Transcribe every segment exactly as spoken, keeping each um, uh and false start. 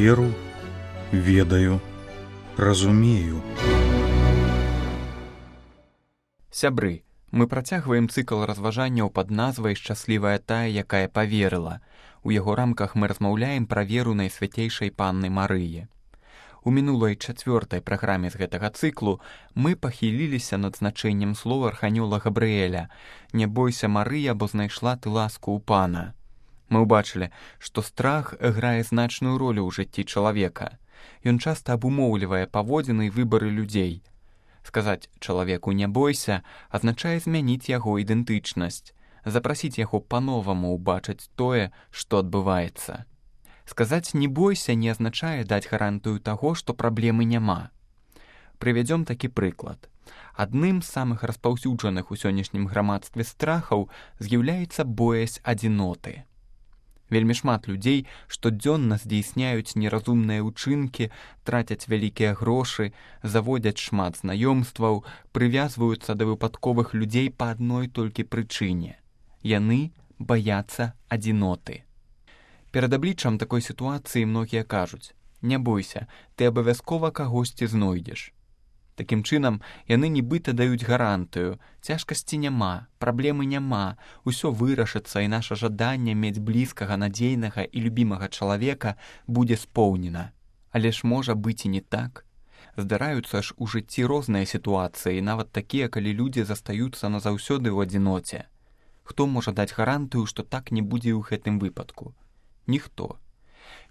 веру, ведаю, разумею. Сябры, мы працягваем цыкл разважанняў пад назвай «Шчаслівая тая, якая паверыла». У яго рамках мы размаўляем пра веру Найсвяцейшай Панны Марыі. У мінулай чацвёртай праграме з гэтага цыклу мы пахіліліся над значэннем слова арханёла Габрыэля «Не бойся, Марыя, бо знайшла ты ласку ў Пана». Мы ўбачылі, што страх грае значную ролю ў жыцці чалавека. Ён часта абумоўлівае паводзіны і выбары людзей. Сказаць чалавеку «не бойся» азначае змяніць яго ідэнтычнасць, запрасіць яго па-новаму ўбачыць тое, што адбываецца. Сказаць «не бойся» не азначае даць гарантыю таго, што праблемы няма. Прывядзём такі прыклад. Адным з самых распаўсюджаных у сённяшнім грамадстве страхаў з'яўляецца боязь адзіноты. Вельмі шмат людзей штодзённа здзейсняюць неразумныя ўчынкі, трацяць вялікія грошы, заводзяць шмат знаёмстваў, прывязваюцца да выпадковых людзей па адной толькі прычыне. Яны баяцца адзіноты. Перад абліччам такой сітуацыі многія кажуць: «Не бойся, ты абавязкова кагосьці знойдзеш». Такім чынам, яны нібыта даюць гарантыю: цяжкасці няма, праблемы няма, усё вырашыцца, і наша жаданне мець блізкага, надзейнага і любімага чалавека будзе споўнена. Але ж можа быць і не так. Здараюцца ж у жыцці розныя сітуацыі, нават такія, калі людзі застаюцца назаўсёды ў адзіноце. Хто можа даць гарантыю, што так не будзе ў гэтым выпадку? Ніхто.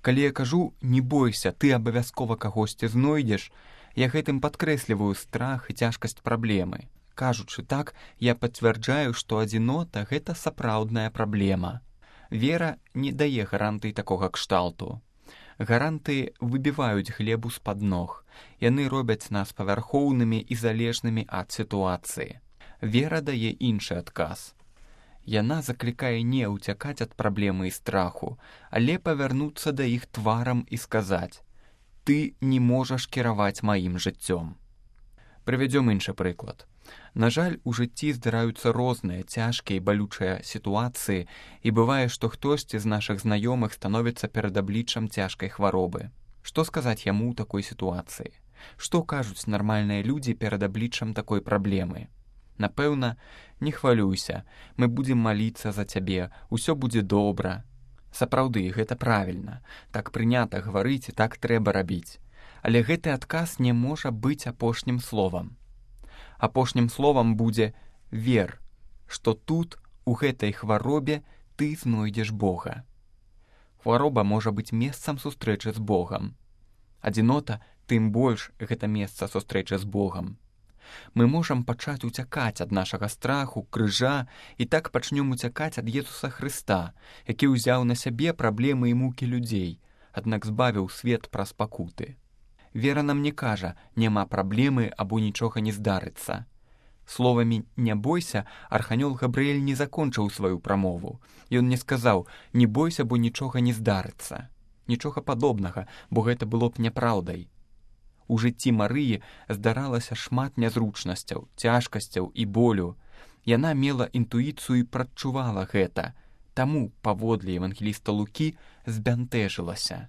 Калі я кажу «не бойся, ты абавязкова кагосьці знойдзеш», я гэтым падкрэсліваю страх і цяжкасць праблемы. Кажучы так, я пацвярджаю, што адзінота – гэта сапраўдная праблема. Вера не дае гарантый такога кшталту. Гарантыі выбіваюць глебу з-пад ног. Яны робяць нас павярхоўнымі і залежнымі ад сітуацыі. Вера дае іншы адказ. Яна заклікае не ўцякаць ад праблемы і страху, але павярнуцца да іх тварам і сказаць: «Ты не можаш кіраваць маім жыццём». Прывядзём іншы прыклад. На жаль, у жыцці здараюцца розныя цяжкія і балючыя сітуацыі, і бывае, што хтосьці з нашых знаёмых становіцца перад абліччам цяжкай хваробы. Што сказаць яму ў такой сітуацыі? Што кажуць нармальныя людзі перад абліччам такой праблемы? Напэўна, не хвалюйся, мы будзем маліцца за цябе, усё будзе добра. Сапраўды, гэта правільна. Так прынята гаварыць і так трэба рабіць. Але гэты адказ не можа быць апошнім словам. Апошнім словам будзе «вер», што тут, у гэтай хваробе, ты знойдзеш Бога. Хвароба можа быць месцам сустрэчы з Богам. Адзінота, тым больш, гэта месца сустрэчы з Богам. Мы можам пачаць уцякаць ад нашага страху, крыжа, і так пачнём уцякаць ад Езуса Хрыста, які ўзяў на сябе праблемы і мукі людзей, аднак збавіў свет праз пакуты. Вера нам не кажа «няма праблемы» або «нічога не здарыцца». Словамі «не бойся» арханёл Габрыэль не закончыў сваю прамову. Ён не сказаў «не бойся, бо нічога не здарыцца». Нічога падобнага, бо гэта было б няпраўдай. У жыцці Марыі здаралася шмат нязручнасцяў, цяжкасцяў і болю. Яна мела інтуіцыю і прадчувала гэта, таму, паводле евангеліста Лукі, збянтэжылася.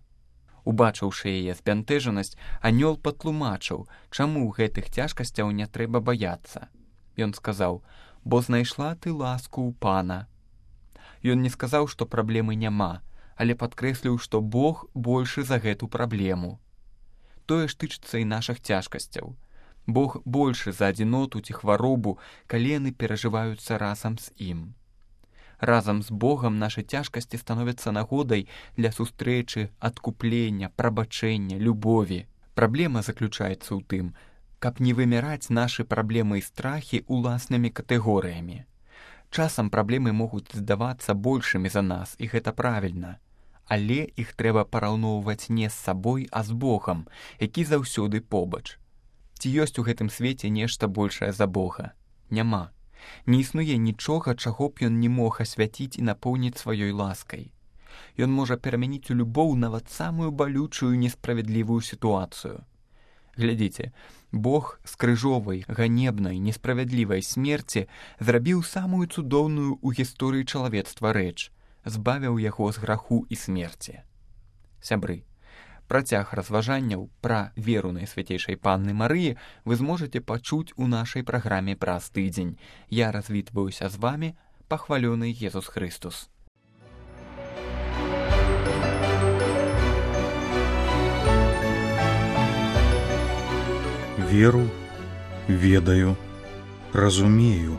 Убачыўшы яе збянтэжанасць, анёл патлумачыў, чаму гэтых цяжкасцяў не трэба баяцца. Ён сказаў: «Бо знайшла ты ласку ў Пана». Ён не сказаў, што праблемы няма, але падкрэсліў, што Бог большы за гэту праблему. Тое ж тычыцца і нашых цяжкасцяў. Бог большы за адзіноту ці хваробу, калі яны перажываюцца разам з ім. Разам з Богам нашы цяжкасці становяцца нагодай для сустрэчы, адкуплення, прабачэння, любові. Праблема заключаецца ў тым, каб не вымяраць нашы праблемы і страхі уласнымі катэгорыямі. Часам праблемы могуць здавацца большымі за нас, і гэта правільна. Але іх трэба параўноўваць не з сабой, а з Богам, які заўсёды побач. Ці ёсць у гэтым свеце нешта большае за Бога? Няма. Не існуе нічога, чаго б ён не мог асвяціць і напоўніць сваёй ласкай. Ён можа перамяніць у любоў нават самую балючую несправядлівую сітуацыю. Глядзіце, Бог з крыжовай, ганебнай, несправядлівай смерці зрабіў самую цудоўную ў гісторыі чалавецтва рэч, збавіў яго з граху і смерці. Сябры, Працяг разважанняў пра веру Найсвяцейшай Панны Марыі вы зможаце пачуць у нашай праграме праз тыдзень. Я развітваюся з вамі, пахвалёны Езус Христус. Веру, ведаю, разумею.